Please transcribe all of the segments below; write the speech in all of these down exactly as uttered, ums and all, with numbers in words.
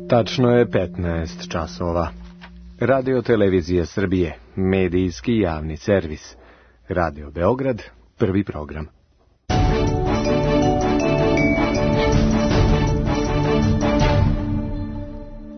Tačno je petnaest časova. Radio Televizija Srbije, medijski javni servis. Radio Beograd, prvi program.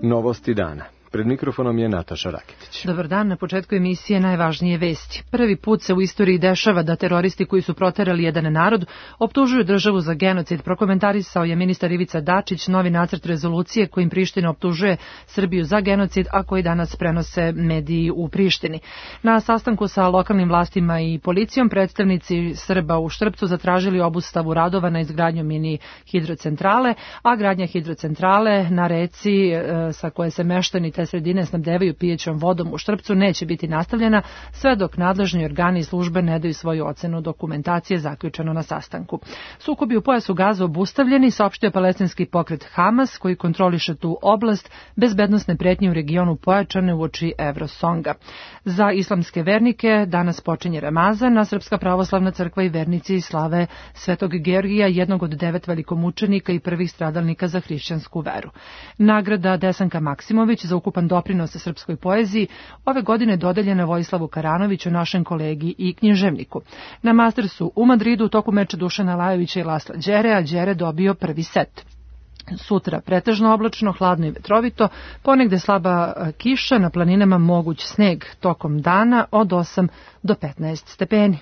Novosti dana. Pred mikrofonom je Nataša Raketić. Dobar dan, na početku emisije najvažnije vesti. Prvi put se u istoriji dešava da teroristi koji su proterali jedan narod optužuju državu za genocid. Prokomentarisao je ministar Ivica Dačić novi nacrt rezolucije kojim Priština optužuje Srbiju za genocid, a koji danas prenose mediji u Prištini. Na sastanku sa lokalnim vlastima i policijom predstavnici Srba u Štrpcu zatražili obustavu radova na izgradnju mini hidrocentrale, a gradnja hidrocentrale na reci sa koje se meštani te sredine snabdevaju pijećom vodom u Štrpcu neće biti nastavljena sve dok nadležni organi i službe ne daju svoju ocenu dokumentacije, zaključeno na sastanku. Sukobi u pojasu Gaze obustavljeni, saopštio palestinski pokret Hamas koji kontroliše tu oblast, bezbednosne pretnje u regionu pojačane uoči Evrosonga. Za islamske vernike danas počinje Ramazan, a Srpska pravoslavna crkva i vernici slave Svetog Georgija, jednog od devet velikomučenika i prvih stradalnika za hrišćansku veru. Nagrada Desanka Maksimović za ukupan doprinos srpskoj poeziji ove godine dodeljena Vojislavu Karanoviću, našem kolegi i književniku. Na Mastersu u Madridu u toku meča Dušana Lajovića i Lasla Đere, a Đere dobio prvi set. Sutra pretežno oblačno, hladno i vetrovito, ponegde slaba kiša, na planinama moguć sneg tokom dana od osam do petnaest stepeni.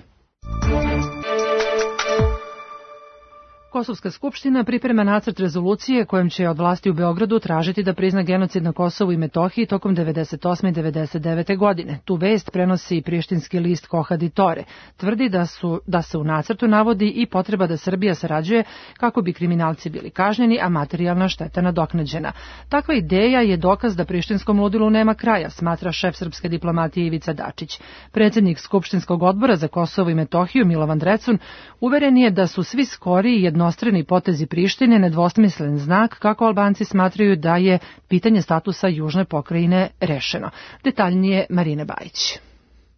Kosovska skupština priprema nacrt rezolucije kojom će od vlasti u Beogradu tražiti da prizna genocid na Kosovu i Metohiji tokom devedeset osme i devedeset devete godine. Tu vest prenosi i prištinski list Kohad i Tore. Tvrdi da, su, da se u nacrtu navodi i potreba da Srbija sarađuje kako bi kriminalci bili kažnjeni, a materijalna šteta nadoknađena. Takva ideja je dokaz da prištinskom ludilu nema kraja, smatra šef srpske diplomatije Ivica Dačić. Predsjednik Skupštinskog odbora za Kosovo i Metohiju Milovan Drecun uveren je da su svi skori i jednostrani potezi Prištine nedvosmislen znak kako Albanci smatraju da je pitanje statusa južne pokrajine rešeno. Detaljnije Marina Bajić.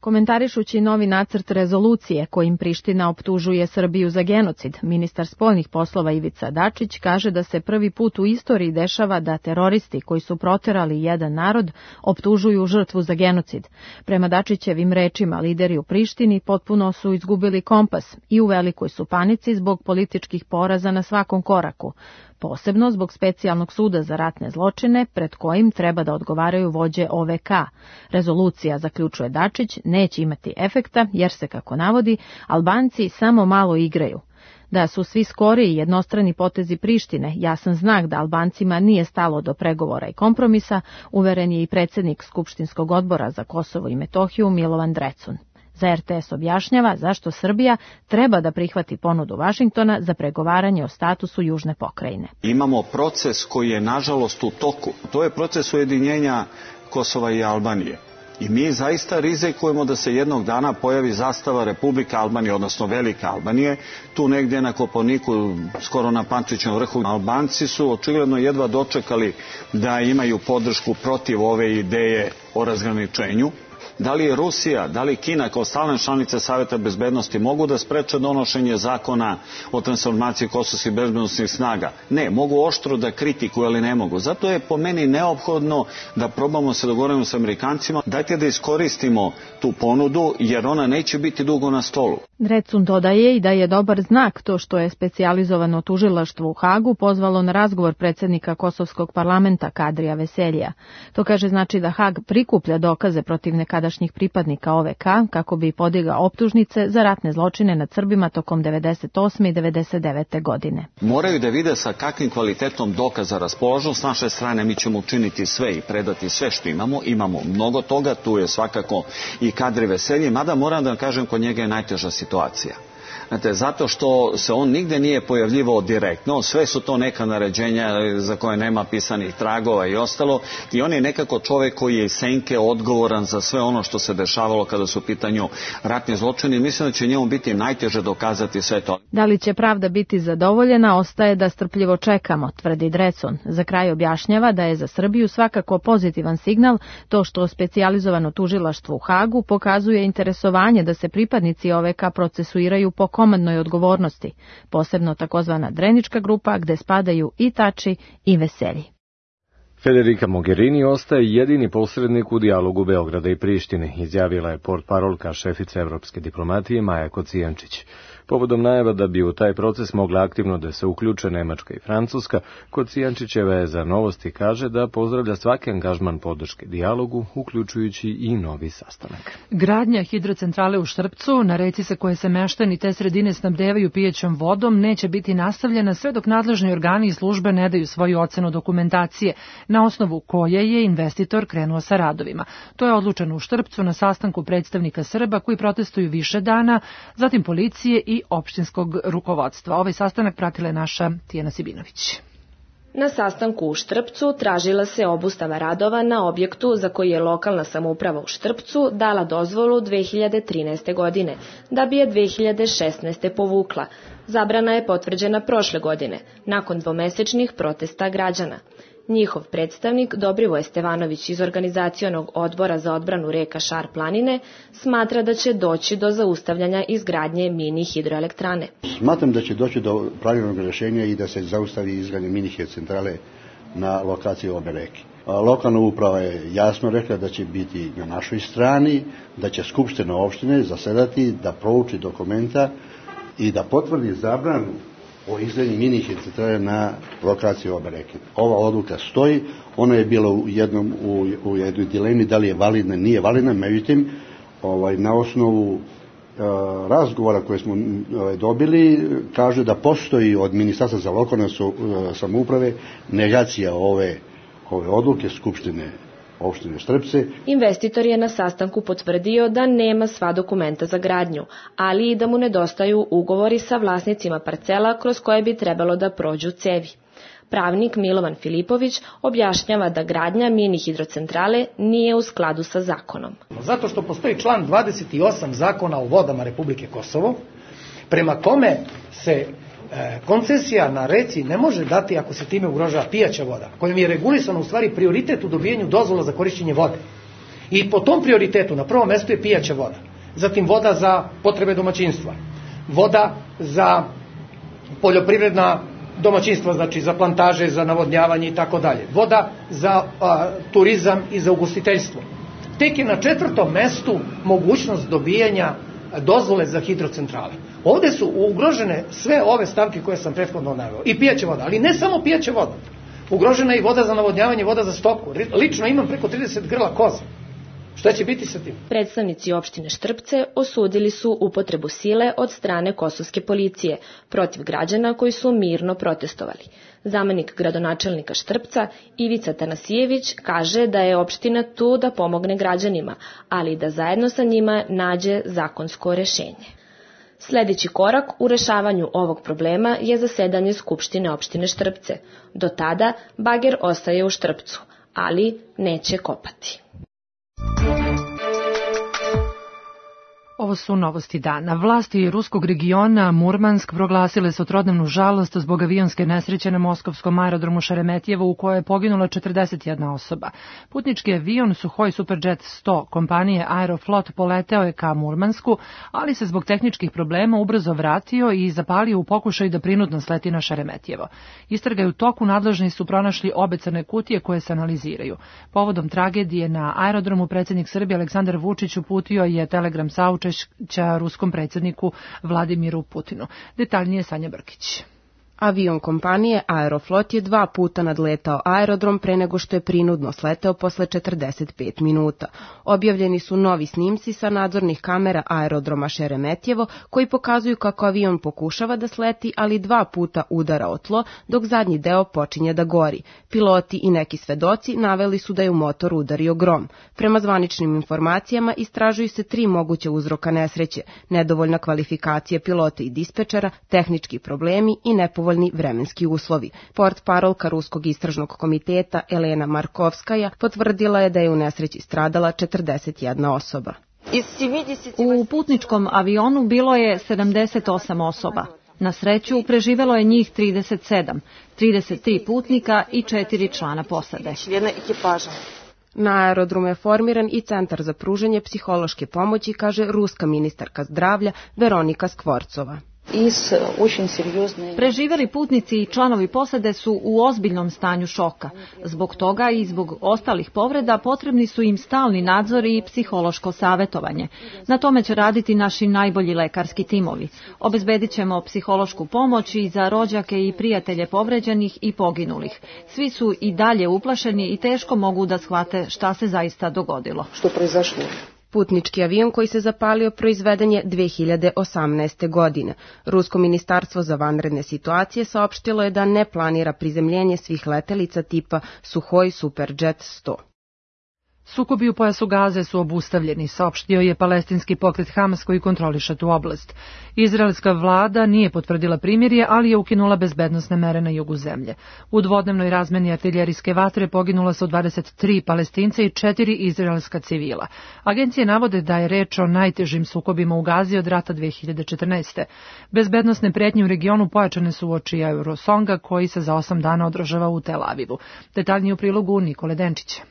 Komentarišući novi nacrt rezolucije kojim Priština optužuje Srbiju za genocid, ministar spoljnih poslova Ivica Dačić kaže da se prvi put u istoriji dešava da teroristi koji su proterali jedan narod optužuju žrtvu za genocid. Prema Dačićevim rečima, lideri u Prištini potpuno su izgubili kompas i u velikoj su panici zbog političkih poraza na svakom koraku, posebno zbog specijalnog suda za ratne zločine pred kojim treba da odgovaraju vođe O V K. Rezolucija, zaključuje Dačić, neće imati efekta jer se, kako navodi, Albanci samo malo igraju. Da su svi skori i jednostrani potezi Prištine jasan znak da Albancima nije stalo do pregovora i kompromisa, uveren je i predsjednik Skupštinskog odbora za Kosovo i Metohiju Milovan Drecun. Za R T S objašnjava zašto Srbija treba da prihvati ponudu Vašingtona za pregovaranje o statusu južne pokrajine. Imamo proces koji je nažalost u toku. To je proces ujedinjenja Kosova i Albanije. I mi zaista rizikujemo da se jednog dana pojavi zastava Republike Albanije, odnosno Velike Albanije. Tu negdje na Kopaoniku, skoro na Pančićevom vrhu, Albanci su očigledno jedva dočekali da imaju podršku protiv ove ideje o razgraničenju. Da li je Rusija, da li Kina kao stalne članice Saveta bezbednosti mogu da spreče donošenje zakona o transformaciji kosovskih bezbednosnih snaga? Ne, mogu oštro da kritikuju, ali ne mogu. Zato je po meni neophodno da probamo se dogovoriti s Amerikancima. Dajte da iskoristimo tu ponudu, jer ona neće biti dugo na stolu. Drecun dodaje i da je dobar znak to što je specijalizovano tužilaštvo u Hagu pozvalo na razgovor predsjednika Kosovskog parlamenta Kadrija Veseljija. To kaže znači da Hag prikuplja dokaze protiv nekadašnjih pripadnika O V K kako bi podigao optužnice za ratne zločine nad Srbima tokom devedeset osme i devedeset devete godine. Moraju da vide sa kakvim kvalitetom dokaza raspolažu. S naše strane mi ćemo učiniti sve i predati sve što imamo. Imamo mnogo toga, tu je svakako i Kadri Veselji, mada moram da kažem kod njega je najteža situacija. Znate, zato što se on nigde nije pojavljivao direktno, sve su to neka naređenja za koje nema pisanih tragova i ostalo, i on je nekako čovjek koji je iz senke odgovoran za sve ono što se dešavalo kada su u pitanju ratni zločini. Mislim da će njemu biti najteže dokazati sve to. Da li će pravda biti zadovoljena, ostaje da strpljivo čekamo, tvrdi Drecun. Za kraj objašnjava da je za Srbiju svakako pozitivan signal to što specijalizovano tužilaštvo u Hagu pokazuje interesovanje da se pripadnici O V K procesuiraju po komandnoj odgovornosti, posebno takozvana Drenička grupa gde spadaju i Tači i Veselji. Federica Mogherini ostaje jedini posrednik u dijalogu Beograda i Prištine, izjavila je portparolka šefice evropske diplomatije Maja Kocijančić. Povodom najava da bi u taj proces mogla aktivno da se uključe Nemačka i Francuska, Kocijančićeva je za Novosti kaže da pozdravlja svaki angažman podrške dijalogu, uključujući i novi sastanak. Gradnja hidrocentrale u Štrpcu, na reci sa koje se meštani te sredine snabdevaju pijećom vodom, neće biti nastavljena sve dok nadležni organi i službe ne daju svoju ocenu dokumentacije, na osnovu koje je investitor krenuo sa radovima. To je odlučeno u Štrpcu na sastanku predstavnika Srba koji protestuju više dana, zatim policije i opštinskog rukovodstva. Ovaj sastanak pratila je naša Tijana Sibinović. Na sastanku u Štrpcu tražila se obustava radova na objektu za koji je lokalna samouprava u Štrpcu dala dozvolu dve hiljade trinaeste. godine, da bi je dve hiljade šesnaeste. povukla. Zabrana je potvrđena prošle godine, nakon dvomesečnih protesta građana. Njihov predstavnik Dobrivoje Stevanović iz Organizacionog odbora za odbranu reka Šar planine smatra da će doći do zaustavljanja izgradnje mini hidroelektrane. Smatram da će doći do pravilnog rješenja i da se zaustavi izgradnje mini hidrocentrale na lokaciji obe reke. Lokalna uprava je jasno rekla da će biti na našoj strani, da će skupština opštine zasedati, da prouči dokumenta i da potvrdi zabranu o izgradnji mini hidrocentrale na lokaciji obe reke. Ova odluka stoji, ona je bila u jednom u, u jednoj dilemi da li je validna, nije validna, međutim ovaj, na osnovu e, razgovora koje smo e, dobili kaže da postoji od Ministarstva za lokalne su, e, samouprave negacija ove, ove odluke Skupštine opštine Štrpce. Investitor je na sastanku potvrdio da nema sva dokumenta za gradnju, ali i da mu nedostaju ugovori sa vlasnicima parcela kroz koje bi trebalo da prođu cevi. Pravnik Milovan Filipović objašnjava da gradnja mini hidrocentrale nije u skladu sa zakonom. Zato što postoji član dvadeset osam Zakona o vodama Republike Kosovo, prema kome se koncesija na reci ne može dati ako se time ugrožava pijaća voda, kojom je regulisano u stvari prioritet u dobijenju dozvola za korišćenje vode. I po tom prioritetu na prvom mjestu je pijaća voda, zatim voda za potrebe domaćinstva, voda za poljoprivredna domaćinstva, znači za plantaže, za navodnjavanje i tako dalje, voda za a, turizam i za ugostiteljstvo. Tek je na četvrtom mjestu mogućnost dobijanja dozvole za hidrocentrale. Ovdje su ugrožene sve ove stavke koje sam prethodno naveo. I pijaća voda, ali ne samo pijaća voda. Ugrožena je i voda za navodnjavanje, voda za stoku. Lično imam preko trideset grla koza. Šta će biti sa tim? Predstavnici opštine Štrpce osudili su upotrebu sile od strane kosovske policije protiv građana koji su mirno protestovali. Zamenik gradonačelnika Štrpca Ivica Tanasijević kaže da je opština tu da pomogne građanima, ali da zajedno sa njima nađe zakonsko rešenje. Sljedeći korak u rešavanju ovog problema je zasedanje Skupštine opštine Štrpce. Do tada bager ostaje u Štrpcu, ali neće kopati. Ovo su novosti dana. Vlasti ruskog regiona Murmansk proglasile su trodnevnu žalost zbog avionske nesreće na moskovskom aerodromu Šeremetjevo u kojoj je poginula četrdeset jedna osoba. Putnički avion Suhoj Superjet sto kompanije Aeroflot poleteo je ka Murmansku, ali se zbog tehničkih problema ubrzo vratio i zapalio u pokušaju da prinudno sleti na Šeremetjevo. Istraga je u toku, nadležni su pronašli obe crne kutije koje se analiziraju. Povodom tragedije na aerodromu predsjednik Srbije Aleksandar Vučić uputio je telegram saučešća ruskom predsjedniku Vladimiru Putinu. Detaljnije Sanja Brkić. Avion kompanije Aeroflot je dva puta nadletao aerodrom pre nego što je prinudno sleteo posle četrdeset pet minuta. Objavljeni su novi snimci sa nadzornih kamera aerodroma Šeremetjevo koji pokazuju kako avion pokušava da sleti, ali dva puta udara o tlo dok zadnji deo počinje da gori. Piloti i neki svedoci naveli su da je u motor udario grom. Prema zvaničnim informacijama istražuju se tri moguće uzroka nesreće: nedovoljna kvalifikacija pilota i dispečera, tehnički problemi i nepovoljni vremenski uslovi. Portparolka Ruskog istražnog komiteta Elena Markovskaja potvrdila je da je u nesreći stradala četrdeset jedna osoba. U putničkom avionu bilo je sedamdeset osam osoba. Na sreću preživelo je njih trideset sedam, trideset tri putnika i četiri člana posade. Na aerodromu je formiran i centar za pružanje psihološke pomoći, kaže ruska ministarka zdravlja Veronika Skvorcova. Preživeli putnici i članovi posade su u ozbiljnom stanju šoka. Zbog toga i zbog ostalih povreda potrebni su im stalni nadzor i psihološko savjetovanje. Na tome će raditi naši najbolji lekarski timovi. Obezbedit ćemo psihološku pomoć i za rođake i prijatelje povređenih i poginulih. Svi su i dalje uplašeni i teško mogu da shvate šta se zaista dogodilo. Putnički avion koji se zapalio proizveden je dve hiljade osamnaeste. godine. Rusko ministarstvo za vanredne situacije saopštilo je da ne planira prizemljenje svih letelica tipa Suhoj Superjet sto. Sukobi u pojasu Gaze su obustavljeni, saopštio je palestinski pokret Hamas koji kontroliše tu oblast. Izraelska vlada nije potvrdila primirje, ali je ukinula bezbednosne mere na jugu zemlje. U dvodnevnoj razmeni artiljerijske vatre poginula su dvadeset tri Palestinca i četiri izraelska civila. Agencije navode da je reč o najtežim sukobima u Gazi od rata dve hiljade četrnaeste. Bezbednosne pretnje u regionu pojačane su uoči Eurosonga koji se za osam dana održava u Tel Avivu. Detaljnije u prilogu Nikole Denčića.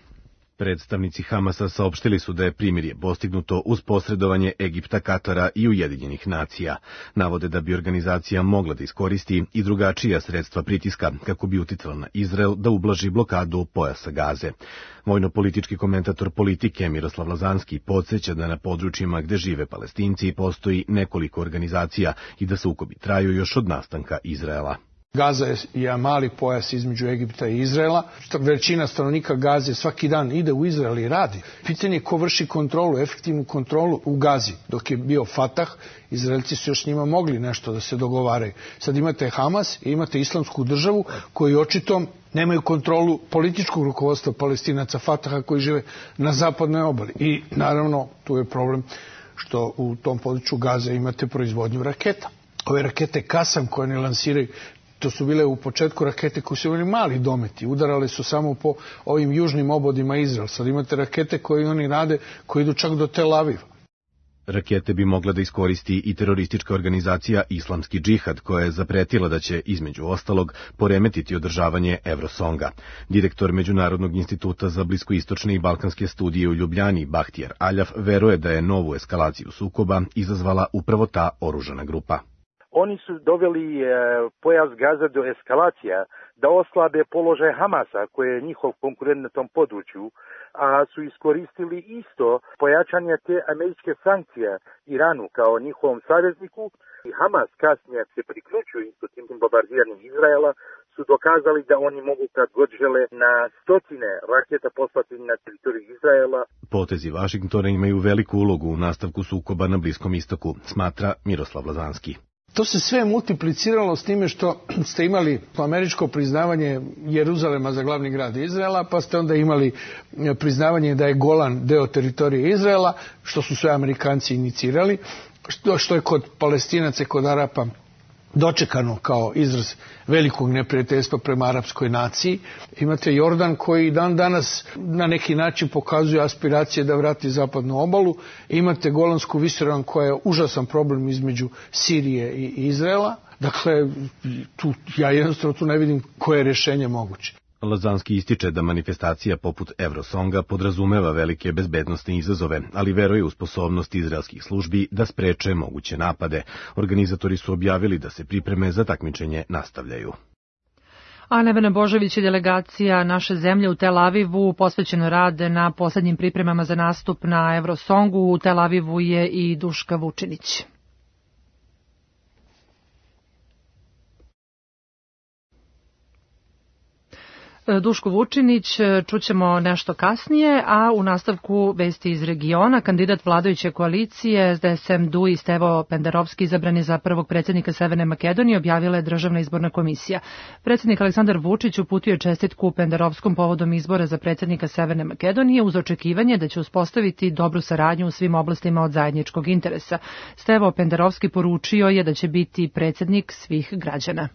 Predstavnici Hamasa saopštili su da je primirje postignuto uz posredovanje Egipta, Katara i Ujedinjenih nacija. Navode da bi organizacija mogla da iskoristi i drugačija sredstva pritiska kako bi uticala na Izrael da ublaži blokadu pojasa Gaze. Vojno-politički komentator politike Miroslav Lazanski podsjeća da na područjima gde žive Palestinci postoji nekoliko organizacija i da sukobi traju još od nastanka Izraela. Gaza je mali pojas između Egipta i Izraela. Većina stanovnika Gaze svaki dan ide u Izrael i radi. Pitanje je ko vrši kontrolu, efektivnu kontrolu u Gazi. Dok je bio Fatah, Izraelci su još njima mogli nešto da se dogovaraju. Sad imate Hamas i imate islamsku državu koji očito nemaju kontrolu političkog rukovodstva Palestinaca Fataha koji žive na zapadnoj obali. I naravno tu je problem što u tom području Gaze imate proizvodnju raketa. Ove rakete Kasam koje ne lansiraju, to su bile u početku rakete koje su imali mali dometi, udarale su samo po ovim južnim obodima Izrael. Sad imate rakete koje oni rade, koje idu čak do Tel Aviva. Rakete bi mogla da iskoristi i teroristička organizacija Islamski džihad, koja je zapretila da će, između ostalog, poremetiti održavanje Eurosonga. Direktor Međunarodnog instituta za bliskoistočne i balkanske studije u Ljubljani, Bahtijar Aljaf, veruje da je novu eskalaciju sukoba izazvala upravo ta oružana grupa. Oni su doveli e, pojas Gaza do eskalacija, da oslabe položaj Hamasa, koji je njihov konkurent na tom području, a su iskoristili isto pojačanje te američke sankcije Iranu kao njihovom savezniku. I Hamas kasnije se priključuju isto tim bombardiranjem Izraela, su dokazali da oni mogu kad god žele na stotine raketa poslati na teritoriju Izraela. Potezi Vašingtona imaju veliku ulogu u nastavku sukoba na Bliskom istoku, smatra Miroslav Lazanski. To se sve multipliciralo s time što ste imali američko priznavanje Jeruzalema za glavni grad Izraela, pa ste onda imali priznavanje da je Golan deo teritorije Izraela, što su sve Amerikanci inicirali, što, što je kod Palestinaca i kod Arapa dočekano kao izraz velikog neprijateljstva prema arapskoj naciji. Imate Jordan koji dan danas na neki način pokazuje aspiracije da vrati zapadnu obalu. Imate Golansku visoravan koja je užasan problem između Sirije i Izraela. Dakle, tu, ja jednostavno tu ne vidim koje je rješenje moguće. Lazanski ističe da manifestacija poput Eurosonga podrazumeva velike bezbednostne izazove, ali veruje u sposobnost izraelskih službi da spreče moguće napade. Organizatori su objavili da se pripreme za takmičenje nastavljaju. A Nevena Božović i delegacija naše zemlje u Tel Avivu posvećeno rade na poslednjim pripremama za nastup na Eurosongu. U Tel Avivu je i Duška Vučinić. Duško Vučinić čućemo nešto kasnije, a u nastavku vesti iz regiona kandidat vladajuće koalicije S D S M D U i Stevo Pendarovski izabrani za prvog predsjednika Severne Makedonije objavila je Državna izborna komisija. Predsjednik Aleksandar Vučić uputio je čestitku Pendarovskom povodom izbora za predsjednika Severne Makedonije uz očekivanje da će uspostaviti dobru saradnju u svim oblastima od zajedničkog interesa. Stevo Pendarovski poručio je da će biti predsjednik svih građana.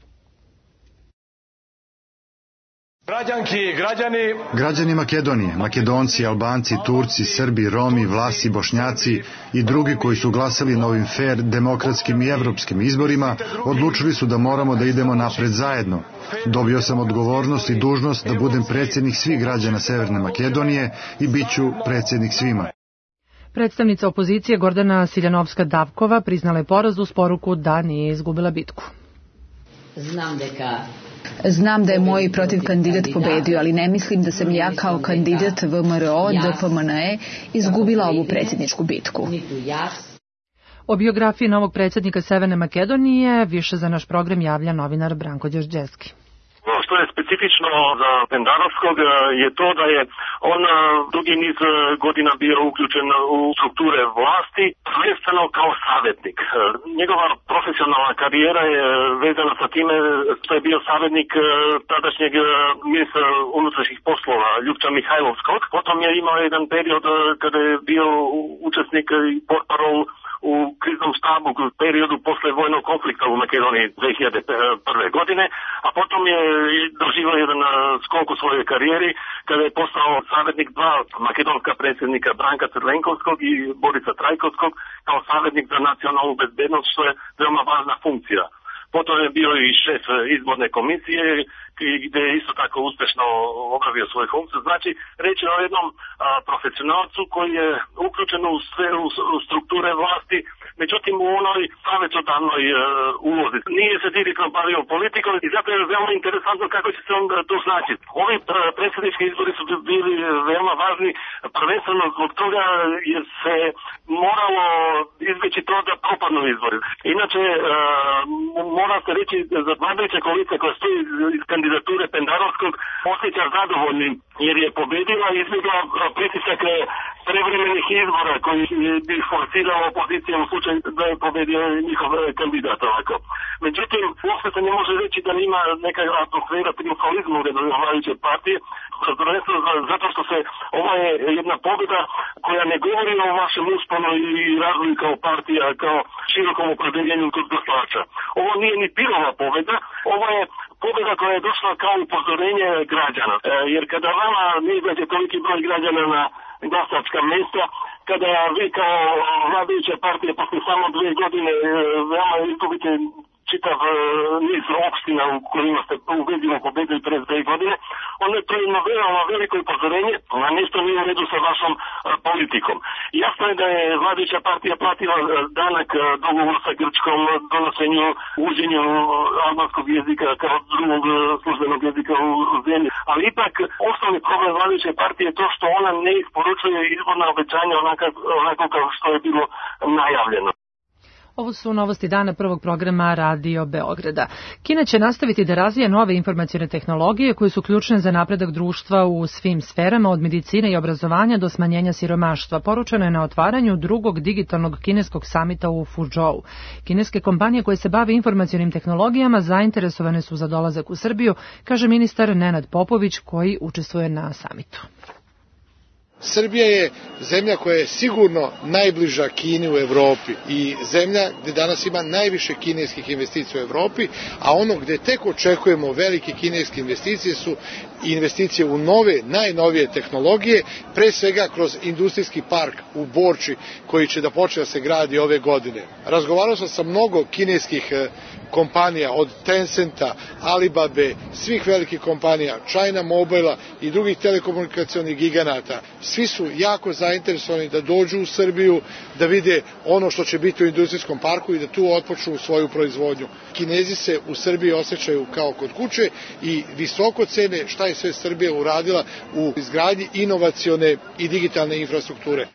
Građanki i građani, građani Makedonije, Makedonci, Albanci, Turci, Srbi, Romi, Vlasi, Bošnjaci i drugi koji su glasali na ovim fair, demokratskim i evropskim izborima, odlučili su da moramo da idemo napred zajedno. Dobio sam odgovornost i dužnost da budem predsjednik svih građana Severne Makedonije i bit ću predsjednik svima. Predstavnica opozicije Gordana Siljanovska-Davkova priznala je poraz uz poruku da nije izgubila bitku. Znam deka Znam da je moj protiv kandidat pobedio, ali ne mislim da sam ja kao kandidat V M R O D P M N E izgubila ovu predsjedničku bitku. O biografiji novog predsjednika Severne Makedonije više za naš program javlja novinar Branko Đorđevski. Ono što je specifično za Pendarovskog je to da je on dugi niz godina bio uključen u strukture vlasti, prvenstveno kao savjetnik. Njegova profesionalna karijera je vezana sa time što je bio savjetnik tadašnjeg ministra unutrašnjih poslova Ljupča Mihajlovskog. Potom je imao jedan period kada je bio učesnik i portparol u kriznom štabu u periodu posle vojnog konflikta u Makedoniji dve hiljade prve. godine, a potom je doživio jedan skok u svojoj karijeri kada je postao savjetnik dva makedonska predsjednika Branka Crvenkovskog i Borisa Trajkovskog kao savjetnik za nacionalnu bezbednost, što je veoma važna funkcija. Potom je bio i šef izborne komisije gdje je isto tako uspješno obavio svoju funkciju. Znači, reći je o jednom a, profesionalcu koji je uključen u sve u, u strukture vlasti, međutim u onoj savjetodavnoj uh, ulozi. Nije se direktno bavio politikom i zato je veoma interesantno kako će se on to snaći. Ovi uh, predsjednički izbori su bili veoma važni, prvenstveno zbog toga jer se moralo izbjeći to da propadnu izbori. Inače, uh, mora se reći za vladajuća koalicija koja stoji iz kandidature Pendarovskog osjeća zadovoljnim jer je pobedila i izbjegla pritisak prevremenih izbora koji bi forsirao opozicija u slučaju da je pobedio njihov kandidat ovako. Međutim, uopšte se ne može reći da ima neka atmosfera triumfalizma u redovima vladajuće partije, zato što se ova je jedna pobjeda koja ne govori o vašem usponu i razvoju kao partija, kao širokom opredeljenju kod glasača. Ovo nije ni pirova pobjeda, ovo je pobjeda koja je došla kao upozorenje građana. E, jer kada vama ne izađe toliki broj građana na glasačka mjesta, kada vi kao vladajuća partija posle samo dvije godine e, veoma izgubite čitav e, niz opština u kojima ste ubedljivo pobedili pre dve godine, onda je to jedno veoma veliko upozorenje, a nešto nije u redu sa vašom a, politikom. Jasno je da je vladajuća partija platila danak dogovor sa Grčkom, donošenju, uđenju albanskog jezika kao drugog službenog jezika u, u zemlji, ali ipak osnovni problem vladajuće partije je to što ona ne isporučuje izborna obećanja onako, onako kao što je bilo najavljeno. Ovo su novosti dana prvog programa Radio Beograda. Kina će nastaviti da razvija nove informacione tehnologije koje su ključne za napredak društva u svim sferama, od medicine i obrazovanja do smanjenja siromaštva. Poručeno je na otvaranju drugog digitalnog kineskog samita u Fuzhou. Kineske kompanije koje se bave informacionim tehnologijama zainteresovane su za dolazak u Srbiju, kaže ministar Nenad Popović koji učestvuje na samitu. Srbija je zemlja koja je sigurno najbliža Kini u Evropi i zemlja gdje danas ima najviše kineskih investicija u Evropi, a ono gdje tek očekujemo velike kineske investicije su investicije u nove, najnovije tehnologije, pre svega kroz industrijski park u Borči koji će da počne da se gradi ove godine. Razgovarao sam sa mnogo kineskih kompanija, od Tencenta, Alibabe, svih velikih kompanija, China Mobile i drugih telekomunikacionih giganata. Svi su jako zainteresovani da dođu u Srbiju, da vide ono što će biti u industrijskom parku i da tu otpočnu svoju proizvodnju. Kinezi se u Srbiji osjećaju kao kod kuće i visoko cene šta je sve Srbija uradila u izgradnji inovacione i digitalne infrastrukture.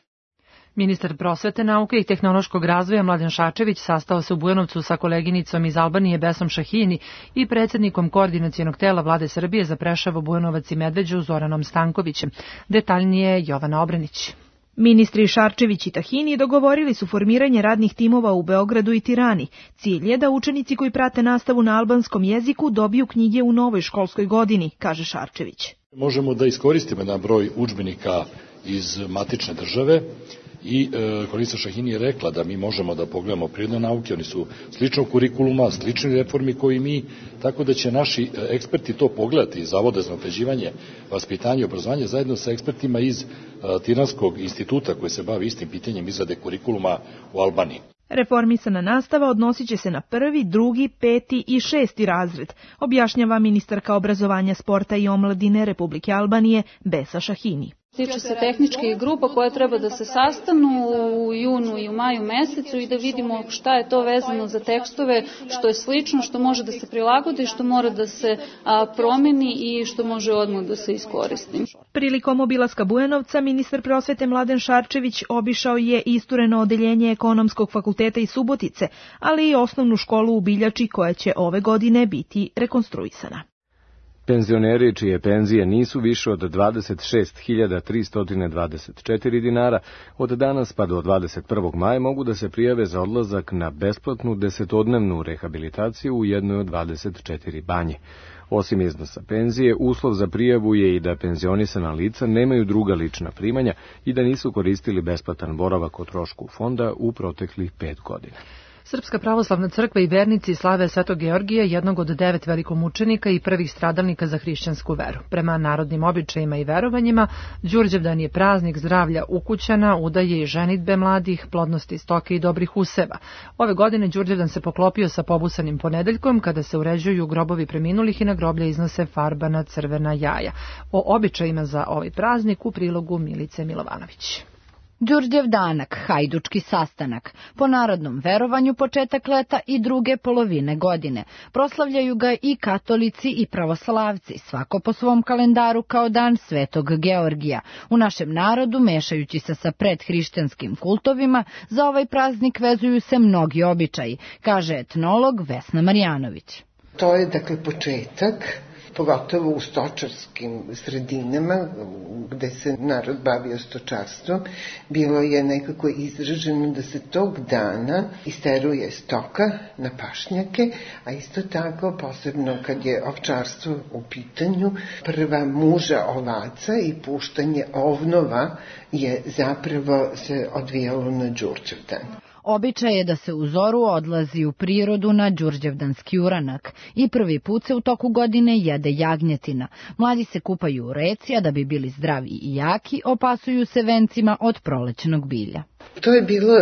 Ministar prosvete, nauke i tehnološkog razvoja Mladen Šarčević sastao se u Bujanovcu sa koleginicom iz Albanije Besom Šahini i predsjednikom koordinacionog tela Vlade Srbije za Preševo, Bujanovac i Medveđu Zoranom Stankovićem. Detaljnije Jovana Obranić. Ministri Šarčević i Tahini dogovorili su formiranje radnih timova u Beogradu i Tirani. Cilj je da učenici koji prate nastavu na albanskom jeziku dobiju knjige u novoj školskoj godini, kaže Šarčević. Možemo da iskoristimo jedan broj udžbenika iz matične države i e, kolegica Šahini je rekla da mi možemo da pogledamo prirodne nauke, oni su sličnog kurikuluma, slični reformi koji mi, tako da će naši eksperti to pogledati iz Zavoda za unapređivanje vaspitanja i obrazovanja zajedno sa ekspertima iz e, Tiranskog instituta koji se bavi istim pitanjem izrade kurikuluma u Albaniji. Reformisana nastava odnosit će se na prvi, drugi, peti i šesti razred, objašnjava ministarka obrazovanja, sporta i omladine Republike Albanije Besa Šahini. Tiče se tehničkih grupa koje treba da se sastanu u junu i u maju mesecu i da vidimo šta je to vezano za tekstove, što je slično, što može da se prilagodi, što mora da se a, promeni i što može odmah da se iskoristi. Prilikom obilaska Bujanovca, ministar prosvete Mladen Šarčević obišao je istureno odeljenje Ekonomskog fakulteta iz Subotice, ali i osnovnu školu u Biljači koja će ove godine biti rekonstruisana. Penzioneri čije penzije nisu više od dvadeset šest hiljada tristo dvadeset četiri dinara od danas pa do dvadeset prvog maja mogu da se prijave za odlazak na besplatnu desetodnevnu rehabilitaciju u jednoj od dvadeset četiri banje. Osim iznosa penzije, uslov za prijavu je i da penzionisana lica nemaju druga lična primanja i da nisu koristili besplatan boravak o trošku fonda u proteklih pet godina. Srpska pravoslavna crkva i vernici slave Svetog Georgija, jednog od devet velikomučenika i prvih stradalnika za hrišćansku veru. Prema narodnim običajima i verovanjima, Đurđevdan je praznik zdravlja ukućana, udaje i ženidbe mladih, plodnosti stoke i dobrih useva. Ove godine Đurđevdan se poklopio sa pobusanim ponedeljkom, kada se uređuju grobovi preminulih i na groblje iznose farbana crvena jaja. O običajima za ovaj praznik u prilogu Milice Milovanović. Đurđevdanak, hajdučki sastanak, po narodnom verovanju početak leta i druge polovine godine. Proslavljaju ga i katolici i pravoslavci, svako po svom kalendaru kao dan Svetog Georgija. U našem narodu, mešajući se sa predhrišćanskim kultovima, za ovaj praznik vezuju se mnogi običaji, kaže etnolog Vesna Marjanović. To je dakle početak, pogotovo u stočarskim sredinama gde se narod bavio stočarstvom, bilo je nekako izraženo da se tog dana isteruje stoka na pašnjake, a isto tako posebno kad je ovčarstvo u pitanju, prva muža ovaca i puštanje ovnova je zapravo se odvijalo na Đurđevdan. Običaj je da se u zoru odlazi u prirodu na đurđevdanski uranak i prvi put se u toku godine jede jagnjetina. Mladi se kupaju u reci, a da bi bili zdravi i jaki, opasuju se vencima od prolećnog bilja. To je bilo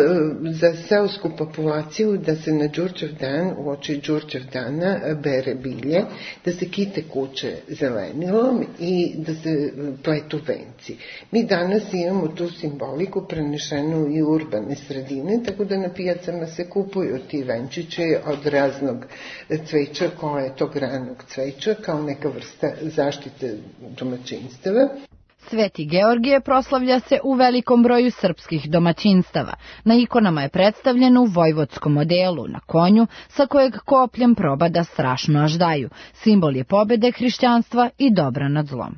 za seosku populaciju da se na Đurđevdan, u oči Đurđevdana, bere bilje, da se kite kuće zelenilom i da se pletu venci. Mi danas imamo tu simboliku prenešenu i u urbane sredine, tako da na pijacama se kupuju ti venčiće od raznog cveća, koje je tog ranog cveća, kao neka vrsta zaštite domaćinstava. Sveti Georgije proslavlja se u velikom broju srpskih domaćinstava. Na ikonama je predstavljen u vojvodskom odelu, na konju, sa kojeg kopljem probada strašno aždaju. Simbol je pobede hrišćanstva i dobra nad zlom.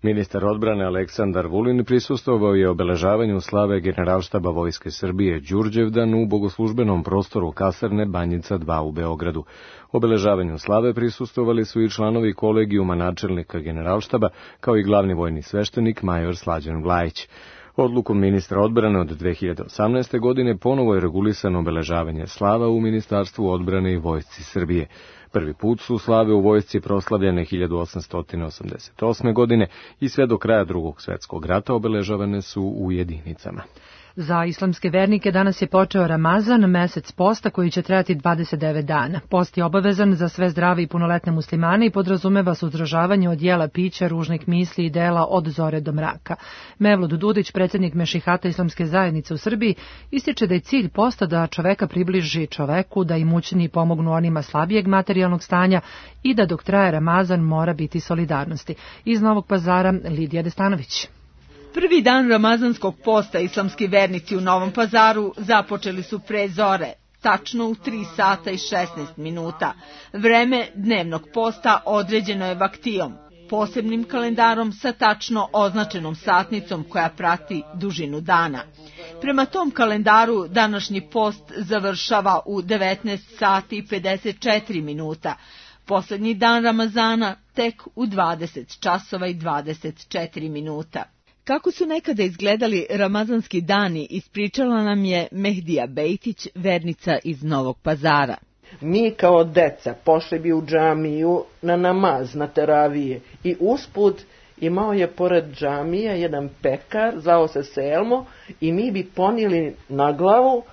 Ministar odbrane Aleksandar Vulin prisustvovao je obeležavanju slave Generalštaba Vojske Srbije Đurđevdan u bogoslužbenom prostoru kasarne Banjica dva u Beogradu. Obeležavanju slave prisustvovali su i članovi kolegijuma načelnika Generalštaba, kao i glavni vojni sveštenik major Slađan Vlajić. Odlukom ministra odbrane od dve hiljade osamnaeste. godine ponovo je regulisano obeležavanje slava u Ministarstvu odbrane i Vojsci Srbije. Prvi put su slave u vojsci proslavljene hiljadu osamsto osamdeset osme. godine i sve do kraja Drugog svjetskog rata obeležavane su u jedinicama. Za islamske vernike danas je počeo Ramazan, mesec posta koji će trajati dvadeset devet dana. Post je obavezan za sve zdrave i punoletne muslimane i podrazumeva suzdržavanje od jela, pića, ružnih misli i dela od zore do mraka. Mevlud Dudić, predsjednik Mešihata islamske zajednice u Srbiji, ističe da je cilj posta da čoveka približi čoveku, da imućniji pomognu onima slabijeg materijalnog stanja i da dok traje Ramazan mora biti solidarnosti. Iz Novog Pazara, Lidija Destanović. Prvi dan ramazanskog posta islamski vernici u Novom Pazaru započeli su pre zore, tačno u tri sata i šesnaest minuta. Vreme dnevnog posta određeno je vaktijom, posebnim kalendarom sa tačno označenom satnicom koja prati dužinu dana. Prema tom kalendaru današnji post završava u devetnaest sati i pedeset četiri minuta. Poslednji dan Ramazana tek u dvadeset časova i dvadeset četiri minuta. Kako su nekada izgledali ramazanski dani, ispričala nam je Mehdija Bejtić, vernica iz Novog Pazara. Mi kao deca pošli bi u džamiju na namaz, na teravije i usput imao je pored džamije jedan pekar, zvao se Selmo i mi bi ponijeli na glavu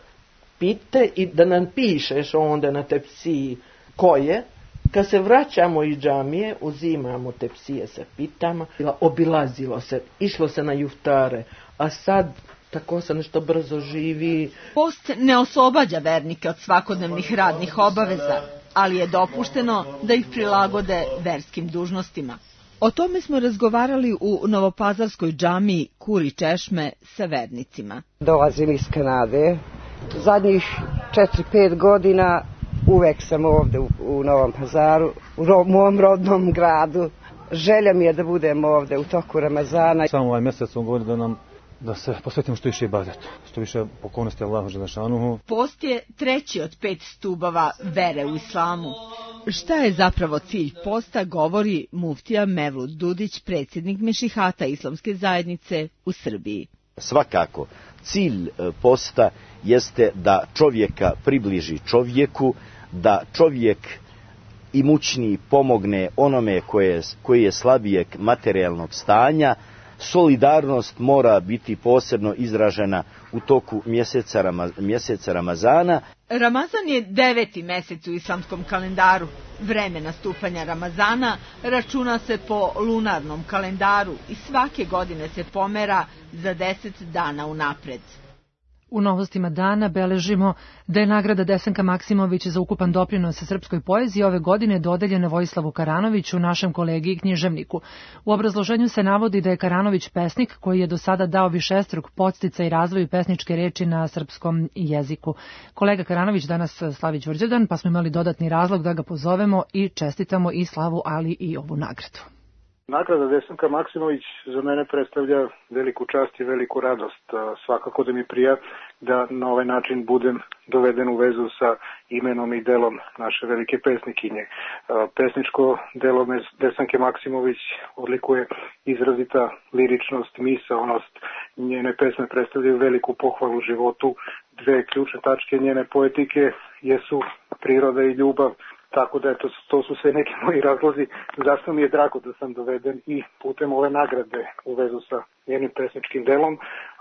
pite i da nam pišeš onda na tepsiji ko je, Kad se vraćamo iz džamije, uzimamo tepsije sa pitama, obilazilo se, išlo se na juftare, a sad tako se nešto brzo živi. Post ne oslobađa vernike od svakodnevnih radnih obaveza, ali je dopušteno da ih prilagode verskim dužnostima. O tome smo razgovarali u novopazarskoj džamiji Kuri Češme sa vernicima. Dolazim iz Kanade. Zadnjih četiri pet godina uvek sam ovde u, u Novom Pazaru, u ro, mom rodnom gradu. Želja mi je da budem ovde u toku Ramazana. Samo ovaj mjesec sam govorio da nam da se posvetimo što više ibadetu, što više pokornosti Allahu dželešanuhu. Post je treći od pet stubova vere u islamu. Šta je zapravo cilj posta, govori muftija Mevlud Dudić, predsjednik Mešihata Islamske zajednice u Srbiji. Svakako, cilj posta jeste da čovjeka približi čovjeku, da čovjek imućniji pomogne onome koje, koji je slabijeg materijalnog stanja. Solidarnost mora biti posebno izražena u toku mjeseca, Rama, mjeseca Ramazana. Ramazan je deveti mjesec u islamskom kalendaru. Vreme nastupanja Ramazana računa se po lunarnom kalendaru i svake godine se pomera za deset dana unapred. U novostima dana beležimo da je nagrada Desanka Maksimović za ukupan doprinos srpskoj poeziji ove godine dodeljena Vojislavu Karanoviću, našem kolegi i književniku. U obrazloženju se navodi da je Karanović pesnik koji je do sada dao višestruk podsticaj razvoju pesničke reči na srpskom jeziku. Kolega Karanović danas slavi Đurđevdan, pa smo imali dodatni razlog da ga pozovemo i čestitamo i slavu, ali i ovu nagradu. Nagrada Desanka Maksimović za mene predstavlja veliku čast i veliku radost. Svakako da mi prija da na ovaj način budem doveden u vezu sa imenom i delom naše velike pesnikinje. Pesničko delo Desanke Maksimović odlikuje izrazita liričnost, misaonost. Njene pesme predstavljaju veliku pohvalu životu. Dve ključne tačke njene poetike jesu priroda i ljubav. Tako da eto, to su sve neki moji razlozi zašto mi je drago da sam doveden i putem ove nagrade u vezu sa njenim pesničkim delom,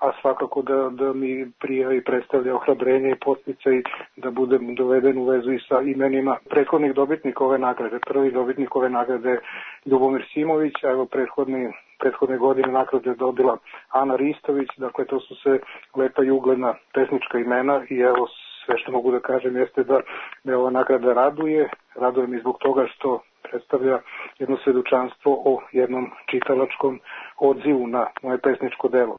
a svakako da, da mi prija i predstavlja ohrabrenje i podsticaj da budem doveden u vezu i sa imenima prethodnih dobitnika ove nagrade. Prvi dobitnik ove nagrade je Ljubomir Simović, a evo prethodni, prethodne godine nagrade je dobila Ana Ristović, dakle to su sve lepa i ugledna pesnička imena i evo sve što mogu da kažem jeste da me ova nagrada raduje. Raduje mi zbog toga što predstavlja jedno svedočanstvo o jednom čitalačkom odzivu na moje pesničko delo.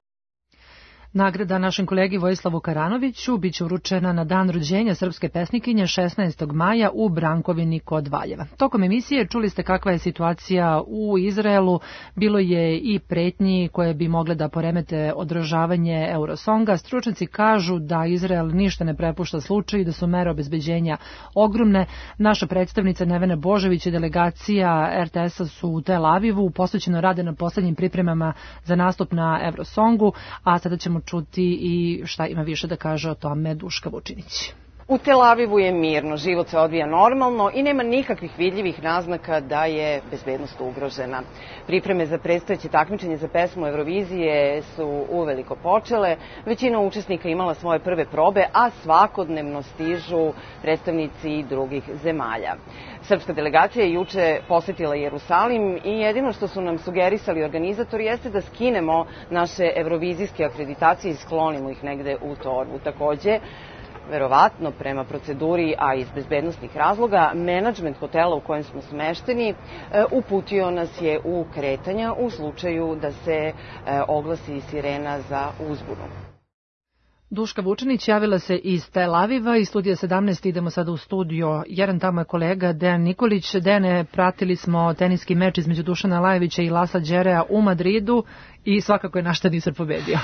Nagrada našem kolegi Vojislavu Karanoviću biće uručena na dan rođenja srpske pesnikinje šesnaestog maja u Brankovini kod Valjeva. Tokom emisije čuli ste kakva je situacija u Izraelu, bilo je i pretnji koje bi mogle da poremete održavanje Eurosonga. Stručnjaci kažu da Izrael ništa ne prepušta slučaju i da su mere obezbeđenja ogromne. Naša predstavnica Nevena Božović i delegacija er te es-a su u Tel Avivu, posvećeno rade na poslednjim pripremama za nastup na Eurosongu, a sada ćemo čuti i šta ima više da kaže o tome Duška Vučinić. U Tel Avivu je mirno, život se odvija normalno i nema nikakvih vidljivih naznaka da je bezbednost ugrožena. Pripreme za predstojeće takmičenje za pesmu Eurovizije su uveliko počele, većina učesnika imala svoje prve probe, a svakodnevno stižu predstavnici drugih zemalja. Srpska delegacija je juče posetila Jerusalim i jedino što su nam sugerisali organizatori jeste da skinemo naše evrovizijske akreditacije i sklonimo ih negde u torbu. Takođe, verovatno prema proceduri, a iz bezbednostnih razloga, menadžment hotela u kojem smo smešteni uputio nas je u kretanja u slučaju da se oglasi sirena za uzbunu. Duška Vučinić javila se iz Tel Aviva i studija sedamnaest. Idemo sada u studio jedan, tamo je kolega Dejan Nikolić. Dejane, pratili smo teniski meč između Dušana Lajovića i Lasla Đerea u Madridu i svakako je naš teniser pobedio.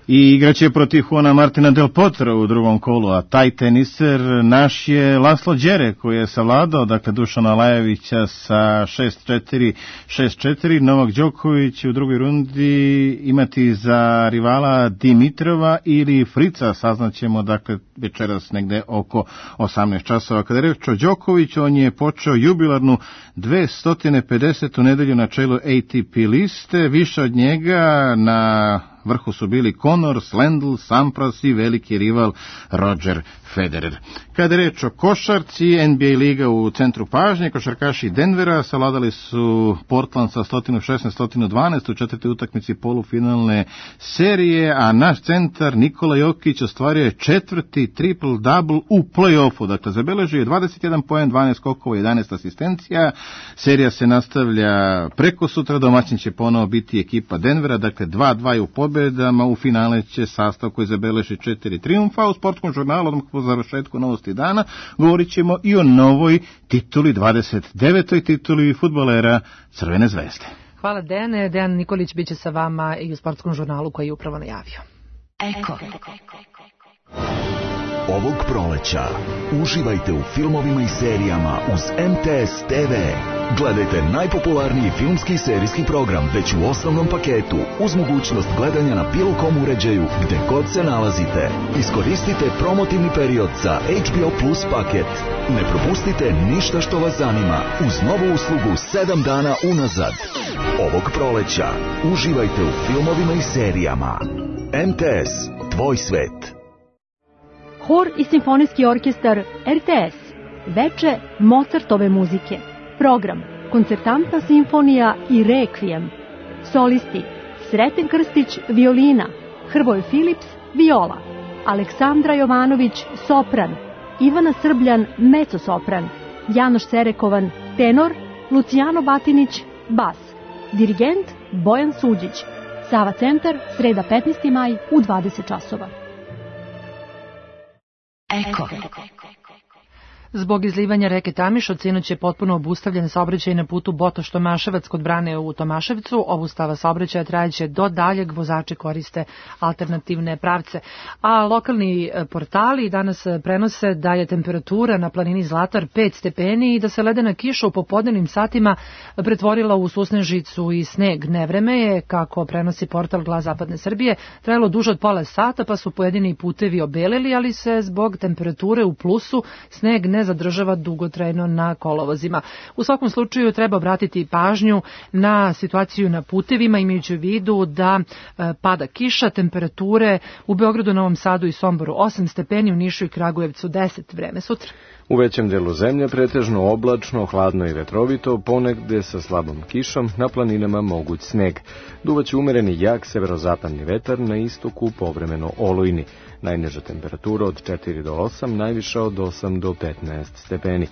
I igraće protiv Juana Martina Del Potra u drugom kolu, a taj teniser naš je Laslo Đere koji je savladao, dakle, Dušana Lajovića sa šest četiri, šest četiri. Novak Đoković u drugoj rundi imati za rivala Dimitrova ili Frica, saznaćemo, dakle, večeras negde oko osamnaest časova. Kada je reč o Đokoviću, on je počeo jubilarnu dvesta pedesetu nedelju na čelu A T P liste, više od njega na vrhu su bili Connors, Lendl, Sampras i veliki rival Roger Federer. Kada je reč o košarci, N B A liga u centru pažnje, košarkaši Denvera savladali su Portland sa sto šesnaest sto dvanaest u četvrtoj utakmici polufinalne serije, a naš centar Nikola Jokić ostvario je četvrti triple-double u play-offu, dakle zabeležio je dvadeset jedan poen, dvanaest skokova, jedanaest asistencija. Serija se nastavlja preko sutra, domaćin će ponovo biti ekipa Denvera, dakle dva dva u pobedama, u finale će sastav koji zabeleži četiri triumfa. U sportskom žurnalu odmah po završetku Novosti dana govorit ćemo i o novoj tituli, dvadeset devetoj tituli fudbalera Crvene zvezde. Hvala Dejane. Dejan Nikolić biće sa vama i u sportskom žurnalu koji je upravo najavio. Eko. Ovog proleća uživajte u filmovima i serijama uz M T S T V. Gledajte najpopularniji filmski i serijski program već u osnovnom paketu uz mogućnost gledanja na bilo kom uređaju gde god se nalazite. Iskoristite promotivni period za H B O Plus paket. Ne propustite ništa što vas zanima uz novu uslugu sedam dana unazad. Ovog proleća uživajte u filmovima i serijama. M T S, tvoj svet. Hor i simfonijski orkestar R T S. Veče Mozartove muzike. Program Koncertantna simfonija i Rekvijem. Solisti Sreten Krstić violina, Hrvoje Filips viola, Aleksandra Jovanović sopran, Ivana Srbljan mezzo-sopran, Janoš Serekovan tenor, Lucijano Batinić bas. Dirigent Bojan Suđić. Sava centar, sreda petnaesti maj u dvadeset časova. Eko. Zbog izlivanja reke Tamiš od sinoć je potpuno obustavljen saobraćaj na putu Botoš-Tomaševac kod brane u Tomaševcu. Obustava saobraćaja trajeće do daljeg, vozači koriste alternativne pravce. A lokalni portali danas prenose da je temperatura na planini Zlatar pet stepeni i da se ledena kiša u popodnevnim satima pretvorila u susnežicu i sneg. Nevreme je, kako prenosi portal Glas Zapadne Srbije, trajalo duže od pola sata, pa su pojedini putevi obeleli, ali se zbog temperature u plusu sneg ne zadržava dugotrajno na kolovozima. U svakom slučaju treba obratiti pažnju na situaciju na putevima, imajući u vidu da e, pada kiša, temperature u Beogradu, Novom Sadu i Somboru osam stepeni, u Nišu i Kragujevcu deset. Vreme sutra. U većem delu zemlje pretežno oblačno, hladno i vetrovito, ponegde sa slabom kišom, na planinama moguć sneg. Duvaće umereni jak severozapadni vetar, na istoku povremeno olujni. Najniža temperatura od četiri do osam, najviša od osam do petnaest stepeni.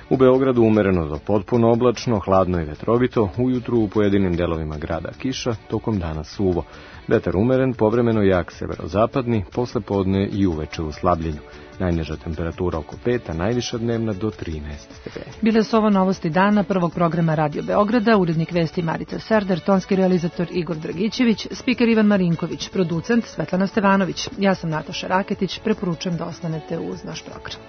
U Beogradu umereno do potpuno oblačno, hladno i vetrovito, ujutru u pojedinim delovima grada kiša, tokom dana suvo. Vetar umeren, povremeno jak severozapadni, posle podne i uveče u slabljenju. Najniža temperatura oko pet, a najviša dnevna do trinaest stepeni. Bile su ovo novosti dana prvog programa Radio Beograda, urednik vesti Marica Serdar, tonski realizator Igor Dragićević, spiker Ivan Marinković, producent Svetlana Stevanović. Ja sam Nataša Raketić, preporučujem da ostanete uz naš program.